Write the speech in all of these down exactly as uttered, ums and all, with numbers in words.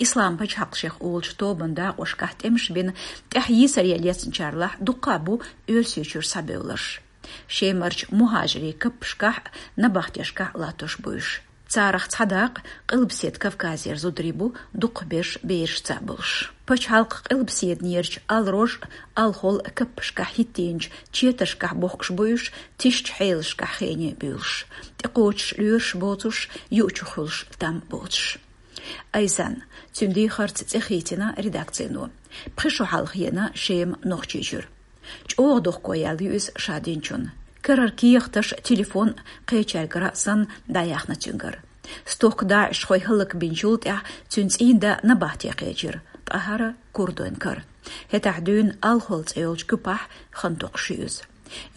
Ислам пачхьалкх шех олучу тобан дакъошкахь тӀемаш бина, тӀаьхьа йийсаре лецначарлахь дуккха а бу Оьрсийчуьра схьабевлларш. Шемарчу мухӀажирийн каппашкахь, набахтешкахь латтош бу уьш. Царах цхьа дакъа Къилбаседа Кавказера зударий бу, дукхахберш берашца болуш. Пачхьалкх Къилбаседанерчу Ал-Рож а, Ал-Хол а каппашкахь хӀиттийначу четаршкахь бохкуш бу уьш, тишачу хьелашкахь хене буьйлуш, тӀекхочуш лоьраш боцуш, юучух хуьлуш там боцуш. Айзан, цуьнан дехарца цӀе хийцина редакцино. Пхи шо хьалха еана Шема Нохчийчуьра. ЧӀогӀа дохко яьлла ю иза ша динчунна. Карара кехаташ, телефон кхечаьргара а санна дӀаяьхна цуьнгара. Стохка даӀишхой хӀаллакбинчул тӀаьхьа цуьнан цӀийнда набахте кхечира, ткъа хӀара курдойн кара. ХӀетахь дуьйна Ал-Хол цӀе йолчу куьпахь хан токхуш ю иза.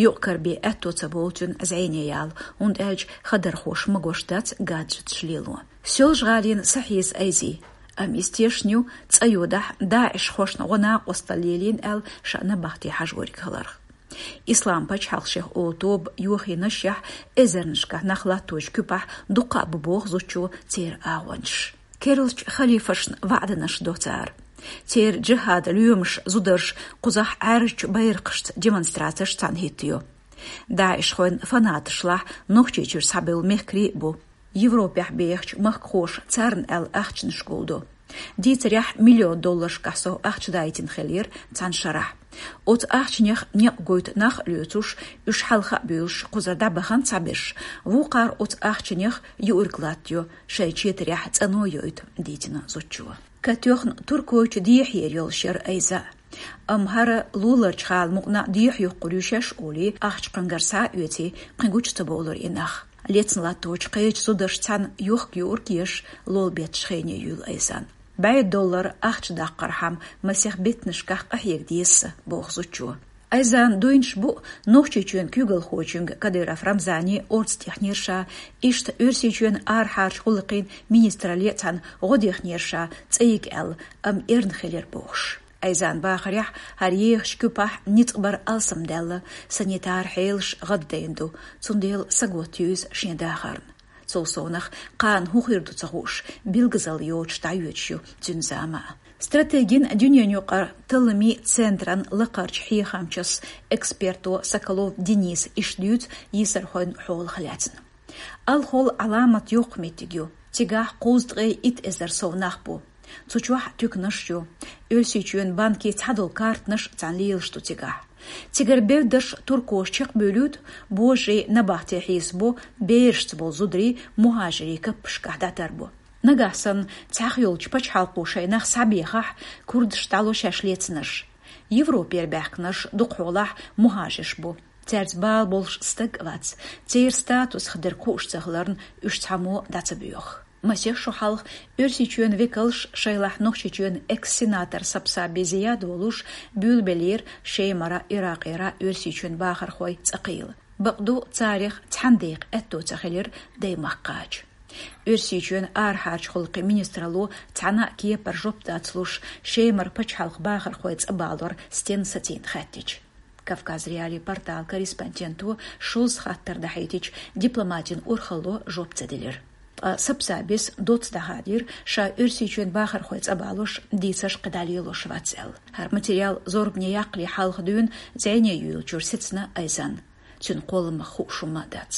Юкъ-кара бен аьтто ца болу цуьнан зӀене яла, хӀунда аьлча хадархоша магош дац гаджеташ лело. Соьлжа-ГӀалина схьахьийза Айзи, амма иза тешна ю, цӀа йодахь, даӀишхошна гӀо-накъосталла лелийна аьлла, ша набахте хьажориг хиларх. Ислам пачхьалкх шех олу тоба йохийнашехь эзарнашкахь нах латточу куьпахь дуккха а бу боху зудчо церан агӀончаш. Керлачу халифашна ваӀданаш до цара. Церан джихӀадан лоьмаш, зударш кхузахь Ӏаьржачу байракхашца демонстрацеш цхьаьна хӀиттайо. ДаӀишхойн фанаташлахь Нохчийчуьра схьабевлла мехкарий а бу. Европехь бехачу махкахоша царна аьлла ахчанаш гулдо. Дийцарехь, миллион долларшкахь сов ахча дайтина хиллера цхьана шарахь. Оцу ахчанех некъ гойту нах а лоьцуш, уьш хьалха а буьйлуш, кхузара дӀабахана цхьаберш, вукхара оцу ахчанех юург латтайо, шайн четарехь цӀано йойту, дийцина зудчо. Катоьхна Туркойчу дехьера йолуш яра Айза. Амма хӀара луларчу гӀала мукъана дехьа юхкур ю шаьш олий, ахча кхуьнгара схьа а оьций, кхин гучу ца бовлура и нах. Лецна латточу кхечу зударшца цхьаьна йохка-юург еш, лолла бетташ хене юьйлу Айзан. БӀе доллар ахча даккхархьама масех беттанашкахь къахьега деза сан, боху зудчо. Айзан дуйнаш бу Нохчийчоьнан куьйгалхочуьнга Кадыров Рамзане орцатехнера ша, иштта Оьрсийчоьнан арахьарчу гӀуллакхийн министралле а цхьаьна гӀо дехнера ша, цӀа йига аьлла, амма эрна хилира бохуш. Айзан бахарехь, хӀара ехачу куьпахь ницкъ бар алсамдаьлла, санитар хьелаш гӀаддайна ду, цундела саготта ю иза шен дахарна. Цул совнах, кхана хӀун хир ду ца хууш, билгазалла йоцуш дӀайоьдуш ю цуьнан зама а. Стратегин дуьненаюкъара талламийн центран лакхарчу хьехамчас эксперто Соколов Дениса иштта дуьйцу йийсархойн хьолах лаьцна. Ал-Хол Ӏаламат йоккха меттиг ю. Цигахь кхузткъе итт эзар сов нах бу. Цу чохь туьканаш ю. Оьрсийчоьнан банкийн цхьадолу картанаш а цхьаьна лелаш ду цигахь. Цигара бевддарш туркоша чекхбуьйлуьйту, божарий набахте хьийзабо, берашца болу зударий мухӀажирийн каппашкахь дӀатарбо. Нагахь санна цхьаьхйолчу пачхьалкхо шайн нах схьабехахь, курдаш дӀало шаьш лецнарш. Европера баьхкинарш дукхахьолахь мухӀажирш бу. Цаьрца бала болуш стаг а вац, церан статусах дерг хууш ца хиларна, уьш цхьаммо дӀа ца боьху. Масех шо хьалха Оьрсийчоьнан векалш, шайлахь Нохчийчоьнан экс-сенатор Сапсаби Зияд волуш, буьйлабеллера Шемара, Иракъера Оьрсийчоьнан бахархой цӀа кхийла. Бакъду, царех цхьана декъа аьтто ца хилира даймахка кхача. Оьрсийчоьнан арахьарчу гӀуллакхийн министралло цхьана а кепара жоп дац луш, Шемара пачхьалкхан бахархой цӀа балор стенна сацийна хаьттича. Кавказ.Реалии порталан корреспонденто шозза хаттар дахьийтича, дипломатин урхалло жоп ца делира. Ткъа Сапсабис доцца дӀахадийра, ша Оьрсийчоьнан бахархой цӀа балош, дийцарш кхидӀа лелош вац аьлла. ХӀара материал зорбане яккхале хьалха дуьйна зӀене юьйлучуьра сецна Айзан. Цуьнан кхолламах хууш хӀумма а дац.